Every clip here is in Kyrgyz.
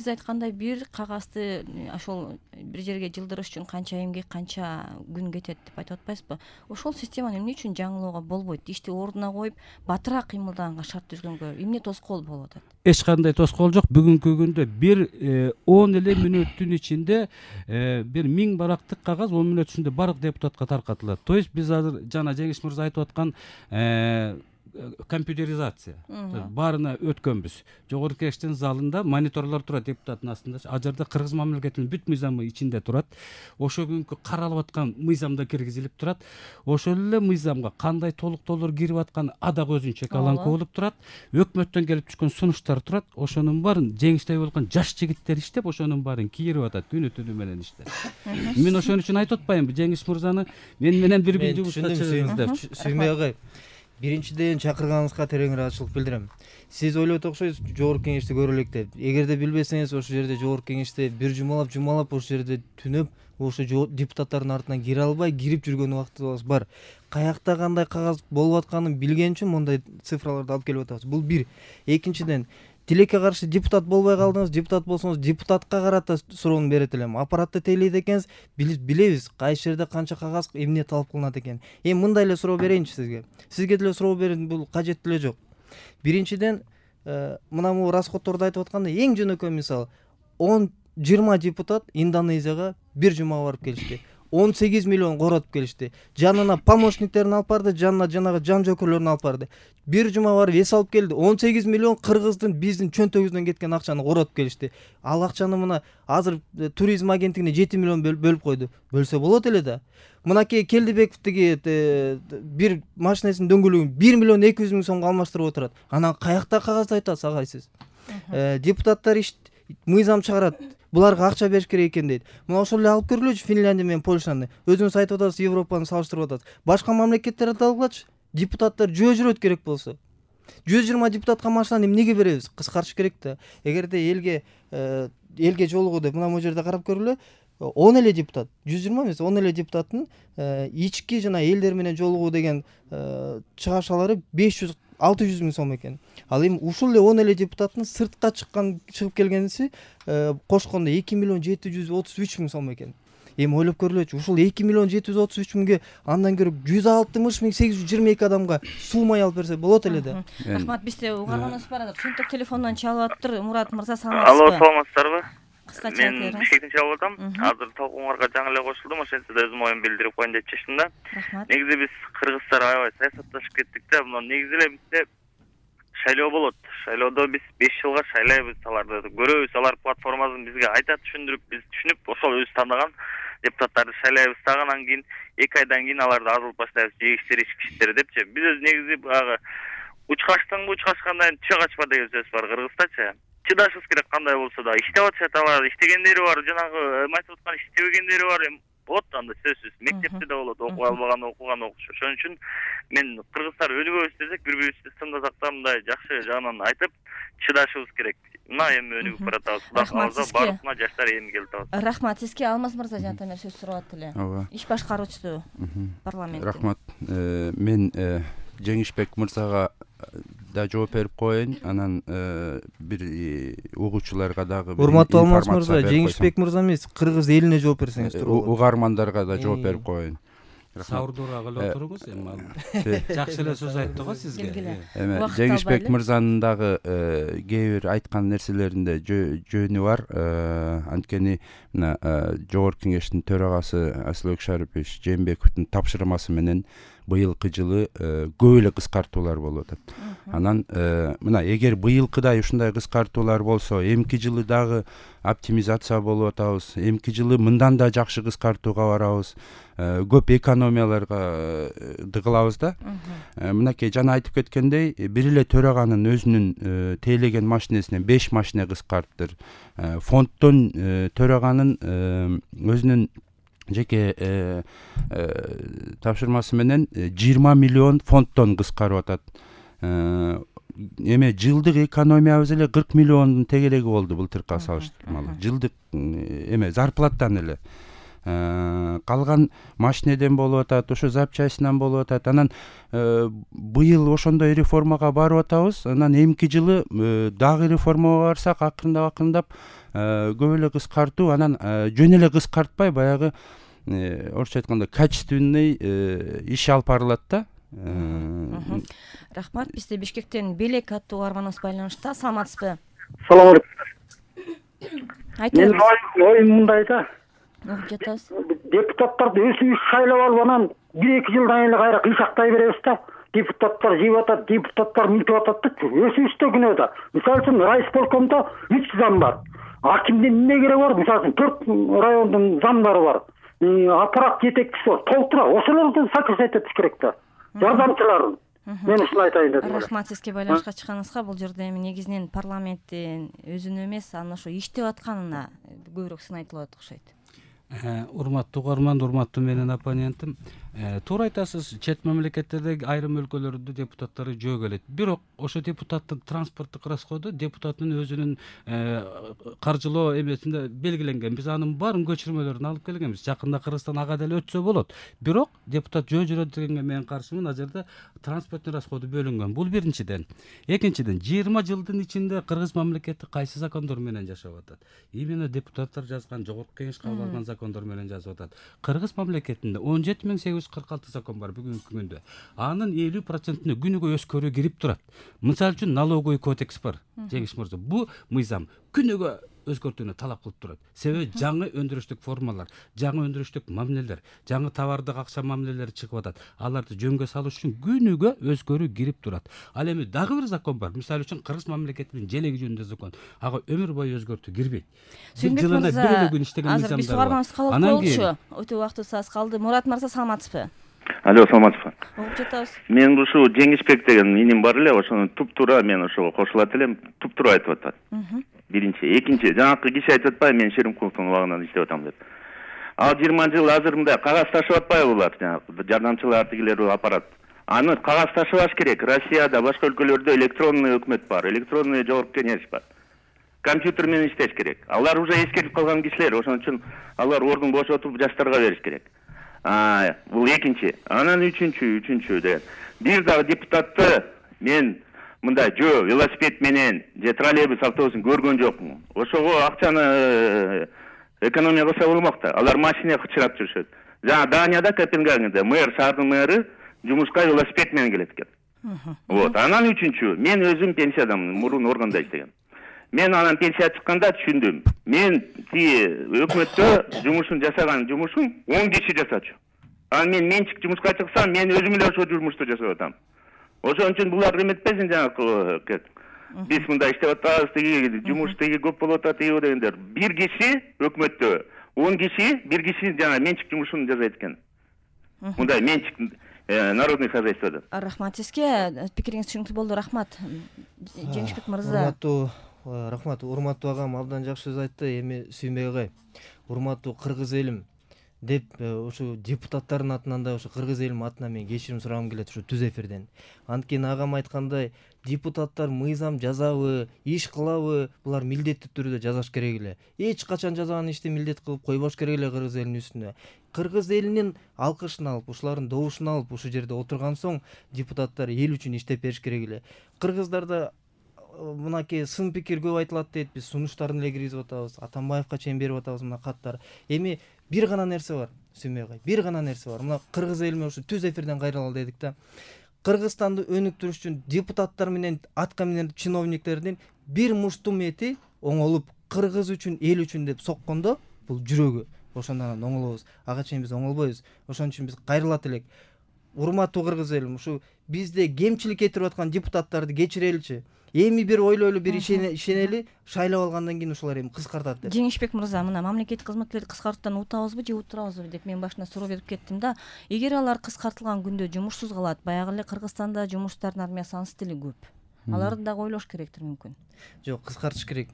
сиз айткандай бир кагазды ошол бир жерге жылдырыш үчүн канча эмгек, канча күн кетет деп айтып атпайсызбы? Ошол системаны эмне үчүн жаңылоого болбойт? Ишти ордуна коюп, батыраак кыймылдаганга шарт түзгөнгө эмне тоскоол болуп атат? Эч кандай тоскоол жок. Бүгүнкү күндө бир 10 эле мүнөттүн ичинде бир 1000 барактык кагаз 10 мүнөт ичинде баардык депутатка таркатылат. То есть биз азыр жана Жеңиш мырза айтып аткан компьютеризация баарына өткөнбүз. Жогорку Кеңештин залында мониторлор турат депутаттын астында. Ал жерде Кыргыз мамлекетинин бүт мыйзамы ичинде турат. Ошо күнкү каралып аткан мыйзамда киргизилип турат. Ошол эле мыйзамга кандай толуктоолор кирип атканы дагы өзүнчө каланка болуп турат. Өкмөттөн келип түшкөн сунуштар турат. Ошонун баарын Жеңиштей болгон жаш жигиттер иштеп, ошонун баарын кийирип атат күнү-түнү менен иштеп. Мен ошон үчүн айтып атпаймынбы, Жеңиш мырзаны мен менен бир күн жумушка чыгыңыз деп. Сүймөй агай. Биринчиден чакырганыңызга терең ыраазычылык билдирем. Сиз ойлоп окшойсуз, Жогорку Кеңешти көрө элек деп. Эгерде билбесеңиз, ошол жерде Жогорку Кеңеште бир жумалап ошол жерде түнөп, ошо депутаттардын артынан кире албай, кирип жүргөн убактыбыз бар. Каякта кандай кагаз болуп атканын билген үчүн мондай цифраларды алып келип атабыз. Бул бир. Экинчиден, тилекке каршы депутат болбой калдыңыз, депутат болсоңуз депутатка карата суроону берет элем. Аппаратты тейлейт экенсиз, билебиз кайсы жерде канча кагаз эмне талап кылынат экен. Эми мындай эле суроо берейинчи сизге. Сизге деле суроо берүүнүн бул кажети деле жок. Биринчиден, мына бул расходторду айтып атканда эң жөнөкөй мисал 10-20 депутат Индонезияга бир жума барып келишти. 18 миллион коротуп келишти. Жанына помощниктерин алып барды, жанына жанагы жан жөкөрлөрүн алып барды. Бир жума барып эс алып келди. 18 миллион кыргыздын биздин чөнтөгүбүздөн кеткен акчаны коротуп келишти. Ал акчаны мына азыр туризм агенттигине 7 миллион бөлүп койду. Бөлсө болот эле да. Мынакей Келдибековдиги бир машинесинин дөңгөлөгүн 1 миллион 200 миң сомго алмаштырып отурат. Анан каякта кагазды айтасыз агай сиз? Депутаттар мыйзам чыгарат. Буларга акча бериш керек экен дейт. Мына ошол эле алып көргүлөчү Финляндия менен Польшаны. Өзүңүз айтып атасыз, Европаны салыштырып атасыз. Башка мамлекеттерди алгылачы. Депутаттар жөө жүрөт керек болсо. 120 депутатка машинаны эмнеге беребиз? Кыскартыш керек да. Эгерде элге жолугуу деп мына бул жерде карап көргүлө. 10 эле депутат, 120 эмес, 10 эле депутаттын ички жана элдер менен жолугуу деген чыгашалары 500-600 миң сом экен. Ал эми ушул эле 10 эле депутаттын сыртка чыгып келгениси кошкондо 2 миллион 733 миң сом экен. Эми ойлоп көрүлөчү, ушул 2 миллион 733 миңге андан көрө 160 миң 822 адамга суу май алып берсе болот эле да. Рахмат, бизде угарганыбыз бар. Чөнтөк телефондон чалып атыптыр. Мурат мырза, саламатсызбы? Алло, саламатсыздарбы? Кыскача мен бишкектен чалып атам. Азыр толкунга жаңы эле кошулдум, ошентсе да өзүм оюмду билдирип коеюн деп чечтим да. Негизи биз кыргыздар аябай саясатташып кеттик да. Мына негизи эле бизде шайлоо болот. Шайлоодо биз 5 жылга шайлайбыз, аларды көрөбүз, алар платформасын бизге айтат, түшүндүрүп, биз түшүнүп, ошол өзү тандаган депутаттарды шайлайбыз дагы, анан кийин 2 айдан кийин аларды азылып баштайбыз, жегиштер, ичкичтер депчи. Биз өз негизи баягы учкачтыңбы, учкачкандай түшө качпа деген сөз бар кыргыздачы. Чыдашыбыз керек, кандай болсо да. Иштеп атышат алар, иштегендери бар, жанагы айтып аткан иштебегендери бар. Болот анда сөзсүз. Мектепте да болот, окуй албаган, окуган окушу. Ошон үчүн мен кыргыздар өнүгөбүз десек, бири-бирибизди тыңдасак да, мындай жакшы жагынан айтып, чыдашыбыз керек. Мына эми өнүгүп баратабыз. Кудай кааласа баарына жаштар эми келип атабыз. Рахмат сизге. Алмаз мырза жана сөз сурап эле. Иш башкаруучусу парламент. Рахмат. Мен Жеңишбек мырзага да жооп берип коеюн, анан бир угуучуларга дагы урматтуу Алмаз мырза, Жеңишбек мырза эмес, кыргыз элине жооп берсеңиз турат. Угармандарга да жооп берип коеюн. Саурдуураак эле отуруңуз эми. Жакшы эле сөз айтты го сизге. Эми Жеңишбек мырзанын дагы кээ бир айткан нерселеринде жөнү бар. Анткени мына Жогорку Кеңештин төрагасы Асылбек Шарипович Жээнбековдун тапшырмасы менен быйылкы жылы көп эле кыскартуулар болуп атат. Анан мына эгер быйылкыдай ушундай кыскартуулар болсо, эмки жылы дагы оптимизация болуп атабыз. Эмки жылы мындан да жакшы кыскартууга барабыз. Көп экономияларга дыгылабыз да. Мынакей жана айтып кеткендей, бир эле төраганын өзүнүн тейлеген машинесинен 5 машина кыскарттыр. Фонддон төраганын өзүнүн жеке тапшырмасы менен 20 миллион фонддон кыскарып атат. Эме жылдык экономиябыз эле 40 миллиондун тегереги болду былтыркыга салыштырмалуу. Жылдык эме зарплаттан эле. калган машинеден болуп атат, ошо запчастьынан болуп атат. Анан быйыл ошондой реформага барып атабыз. Анан эмки жылы дагы реформага барсак, акырындап көп эле кыскартуу, анан жөн эле кыскартпай баягы орусча айтканда качественный иш алып барылат да. Рахмат. Бизде Бишкектен Белек аттуу угарманыбыз байланышта. Саламатсызбы? Салам алейкум. Айтыңыз. Мен оюм мындай да. Угуп жатабыз. Депутаттарды өзүбүз шайлап алып анан 1-2 жылдан эле кайра кыйшактай беребиз да. Депутаттар жеп атат, депутаттар мынтип атат да. Өзүбүз да күнөө да. Мисалы үчүн райисполкомдо 3 зам бар. Акимдин эмне кереги бар? Мисалы үчүн 4 райондун замдары бар. Аппарат жетекчиси бар. Толтура. Ошолорду сокращать этиш керек да. Жардамчыларын. Мен ушуну айтайын дедим. Рахмат сизге байланышка чыкканыңызга. Бул жерде эми негизинен парламенттин өзүнө эмес, анын ошо иштеп атканына көбүрөөк сын айтылат окшойт. Урматтуу угарман, урматтуу менин оппонентим, туура айтасыз. Чет мамлекеттердеги айрым өлкөлөрдө депутаттары жөө келет. Бирок ошо депутаттын транспорттук расходу депутаттын өзүнүн каржылоо эмесинде белгиленген. Биз анын баарын көчүрмөлөрүн алып келгенбиз. Жакында Кыргызстан ага деле өтсө болот. Бирок депутат жөө жүрөт дегенге мен каршымын. Ал жерде транспорттун расходу бөлүнгөн. Бул биринчиден. Экинчиден, 20 жылдын ичинде Кыргыз мамлекети кайсы закондор менен жашап атат? Именно депутаттар жазган, жогорку кеңеш кабыл алган закондор менен жазып атат. Кыргыз мамлекетинде 17846 закон бар бүгүнкү күндө. Анын 50%-ны күнүгө өскөрүү кирип турат. Мисалы үчүн налоговый кодекс бар. Жеңиш мырза, бу мыйзам күнүгө өзгөртүүнү талап кылып турат. Себеби жаңы өндүрүштүк формалар, жаңы өндүрүштүк мамилелер, жаңы товардык акча мамилелери чыгып атат. Аларды жөнгө салыш үчүн күнүгө өзгөрүү кирип турат. Ал эми дагы бир закон бар. Мисалы үчүн Кыргыз мамлекетинин желеги жөнүндө закон. Ага өмүр бою өзгөртүү кирбейт. Жылына бир эле күн иштеген мыйзамдар бар. Азыр биз угарманыбыз калып болчу. Өтө убактыбыз аз калды. Мурат мырза, саламатсызбы? Алло, саламатсызбы? Угуп жатабыз. Мен ушу Жеңишбек деген иним бар эле, ошону туп-туура мен ошого кошулат элем, туп-туура айтып атат. Биринчи, экинчи, жанакы киши айтып атпайбы, мен Шеримкуловдун убагынан иштеп атам деп. Ал 20 жыл азыр мындай кагаз ташып атпайбы булар, жанагы жардамчылар тигилер аппарат. Аны кагаз ташыбаш керек. Россияда, башка өлкөлөрдө электронный өкмөт бар, электронный жогорку кеңеш бар. Компьютер менен иштеш керек. Алар уже эскертип калган кишилер, ошон үчүн алар ордун бошотуп жаштарга бериш керек. Бул экинчи. Анан үчүнчү деген. Бир дагы депутатты мен мындай жөө велосипед менен же троллейбус автобусун көргөн жокмун. Ошого акчаны экономия кылса болмок да. Алар машина кычырап жүрүшөт. Жана Данияда, Копенгагенде мэр, шаардын мэры жумушка велосипед менен келет экен. Вот. Анан үчүнчү, мен өзүм пенсиядамын, мурун органда иштегем. Мен анан пенсия чыкканда түшүндүм. Мен тиги өкмөттө жумушун жасаган жумушун 10 киши жасачу. Анан мен менчик жумушка чыксам, мен өзүм эле ошо жумушту жасап атам. Ошон үчүн булар эметпесин жанагы. Биз мындай иштеп атабыз, тиги жумуш тиги көп болуп атат дегендер. Бир киши өкмөттө 10 киши, бир киши жана менчик жумушун жасайт экен. Мындай менчик народный хозяйствода. Рахмат сизге. Пикириңиз түшүнүктүү болду. Рахмат. Жеңишбек мырза. Рахмат. Урматтуу агам абдан жакшы сөз айтты. Эми Сүймбек агай, урматтуу кыргыз элим деп ошо депутаттардын атынан да ошо кыргыз элим атынан мен кечирим сурагым келет ошо түз эфирден. Анткени агам айткандай, депутаттар мыйзам жазабы, иш кылабы, булар милдеттүү түрдө жазаш керек эле. Эч качан жазган ишти милдет кылып койбош керек эле кыргыз элинин үстүнө. Кыргыз элинин алкышын алып, ушулардын добушун алып, ушул жерде отурган соң депутаттар эл үчүн иштеп бериш керек эле. Кыргыздарда мынакей сын пикир көп айтылат дейт. Биз сунуштарын эле киргизип атабыз, Атамбаевка чейин берип атабыз мына каттар. Эми бир гана нерсе бар, Сүймбек агай. Бир гана нерсе бар. Мына кыргыз элиме ушу түз эфирден кайрылалы дедик да. Кыргызстанды өнүктүрүш үчүн депутаттар менен атка минер чиновниктердин бир муштум эти оңолуп, кыргыз үчүн, эл үчүн деп соккондо, бул жүрөгү. Ошондон оңолобуз. Ага чейин биз оңолбойбуз. Ошон үчүн биз кайрылат элек. Урматтуу кыргыз элим, ушу бизде кемчилик кетирип аткан депутаттарды кечиреличи. Эми бир ойлойлу, бир ишенели, шайлап алгандан кийин ушулар эми кыскартат деп. Жеңишбек мырза, мына мамлекеттик кызматкерлерди кыскартуудан утабызбы же утурабызбы деп мен башында суроо берип кеттим да. Эгер алар кыскартылган күндө жумушсуз калат, баягы эле Кыргызстанда жумуштардын армиясы анын стили көп. Аларды дагы ойлош керектир мүмкүн. Жок, кыскартыш керек.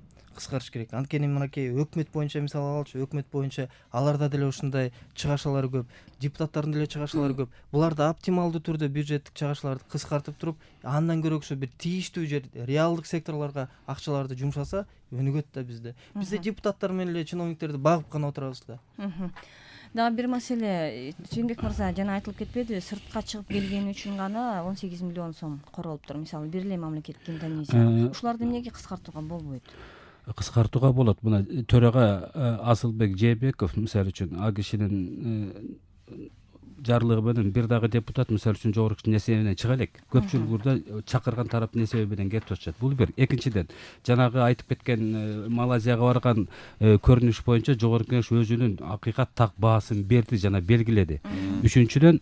Анткени мынакей өкмөт боюнча мисал алалы, өкмөт боюнча аларда деле ушундай чыгашалар көп, депутаттардын деле чыгашалары көп. Буларды оптималдуу түрдө бюджеттик чыгашаларды кыскартып туруп, андан көрөксө бир тийиштүү жер, реалдык секторлорго акчаларды жумшаса, өнүгөт да бизде. Бизде депутаттар менен эле чиновниктерди багып гана отурабыз да. Дагы бир маселе, Сүйүнбек мырза жана айтылып кетпедиби, сыртка чыгып келгени үчүн гана 18 миллион сом королуптур. Мисалы бир эле мамлекеттик Индонезия. Ушуларды эмнеге кыскартууга болбойт? Кыскартууга болот. Мына төрага Асылбек Жээнбеков мисалы үчүн ал кишинин жарлыгы менен бир дагы депутат мисалы үчүн жогорку Кеңештин эсебинен чыга элек. Көпчүлүк burada чакырган тараптын эсеби менен кетип атышат. Бул бир. Экинчиден, жанагы айтып кеткен Малайзияга барган көрүнүш боюнча жогорку Кеңеш өзүнүн акыйкат так баасын берди жана белгиледи. Үчүнчүдөн,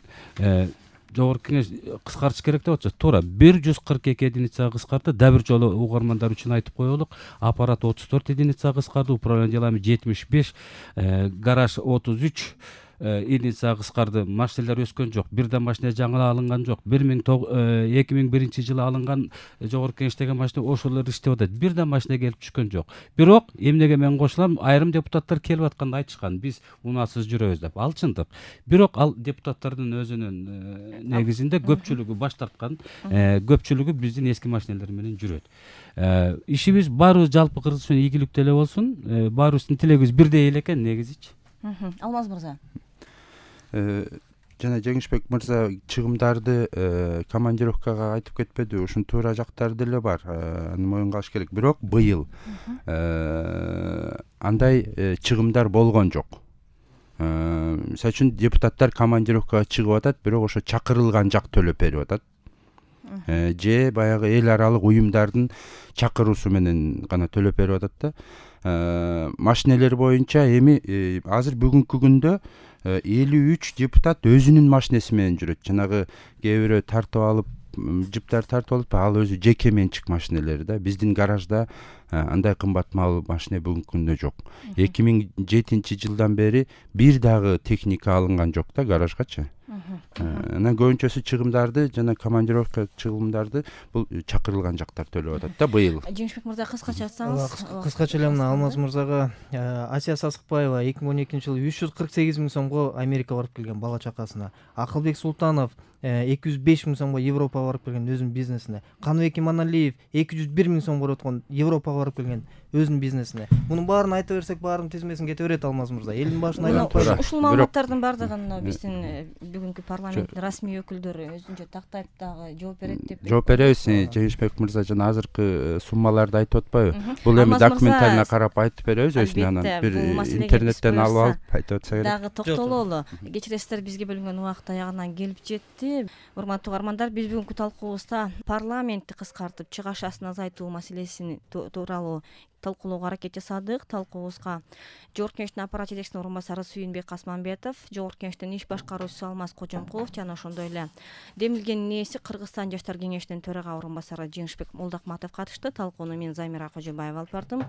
жогорку Кеңеш кыскартыш керек деп атышат. Туура 142 единицага кыскарды. Да бир жолу угармандар үчүн айтып коелук. Аппарат 34 единицага кыскарды, управление делами 75, гараж 33 единицага кыскарды. Машиналар өскөн жок. Бир да машина жаңы алынган жок. 2001 жылы алынган жогорку Кеңештеги машина ошолор иштеп атат. Бир да машина келип түшкөн жок. Бирок эмнеге мен кошулам? Айрым депутаттар келип атканда айтышкан, биз унасыз жүрөбүз деп. Ал чындык. Бирок ал депутаттардын өзүнүн негизинде көпчүлүгү баш тарткан, көпчүлүгү биздин эски машиналар менен жүрөт. Ишибиз баары жалпы Кыргызстан ийгиликтүү эле болсун. Баарыбыздын тилегибиз бирдей эле экен негизичи. Алмаз мырза. Жана Жеңишбек мырза чыгымдарды командировкага айтып кетпеди. Ушун туура жактары деле бар. Аны моюнга алыш керек. Бирок быйыл андай чыгымдар болгон жок. Мисалы үчүн депутаттар командировкага чыгып атат, бирок ошо чакырылган жак төлөп берип атат. Же баягы эл аралык уюмдардын чакыруусу менен гана төлөп берип атат да. Машинелер боюнча эми азыр бүгүнкү күндө 53 депутат өзүнүн машинеси менен жүрөт. Жанагы кээ бирөө тартып алып, жиптер тартып алып, ал өзү жеке менчик машинелери да. Биздин гаражда андай кымбат мал машина бүгүнкү күндө жок. 2007 жылдан бери бир дагы техника алынган жок да гаражгачы. Анан көбүнчөсү чыгымдарды жана командировка чыгымдарды бул чакырылган жактар төлөп атат да быйыл. Жеңишбек мырза кыскача айтсаңыз. Кыскача эле мына Алмаз мырзага Асия Сасыкбаева 2012 жылы 348 миң сомго Америкага барып келген бала чакасына. Акылбек Султанов 205 миң сомго Европага барып келген өзүнүн бизнесине. Каныбек Иманалиев 201 миң сомго өткөн Европага барып келген өзүнүн бизнесине. Мунун баарын айта берсек, баарынын тизмесин кете берет Алмаз мырза. Элдин башына айланып ушул маалыматтардын баардыгын биздин бүгүнкү парламенттин расмий өкүлдөрү өзүнчө тактайт дагы жооп берет деп. Жооп беребиз. Жеңишбек мырза жана азыркы суммаларды айтып атпайбы? Бул эми документально карап айтып беребиз өзүнө, анан бир интернеттен алып айтып атса керек. Дагы токтололу. Кечиресиздер, бизге бөлүнгөн убакыт аягына келип жетти. Урматтуу угармандар, биз бүгүнкү талкуубузда парламентти кыскартып чыгыш ашын азайтуу маселесин тууралуу талкуулоого аракет жасадык. Талкуубузга Жогорку Кеңештин аппарат жетекчисинин орун басары Сүйүнбек Асманбетов, Жогорку Кеңештин иш башкаруучусу Алмаз Кожомкулов жана ошондой эле демилгендин ээси Кыргызстан жаштар кеңешинин төрага орун басары Жеңишбек Молдокматов катышты. Талкууну мен Замира Кожобаева алып бардым.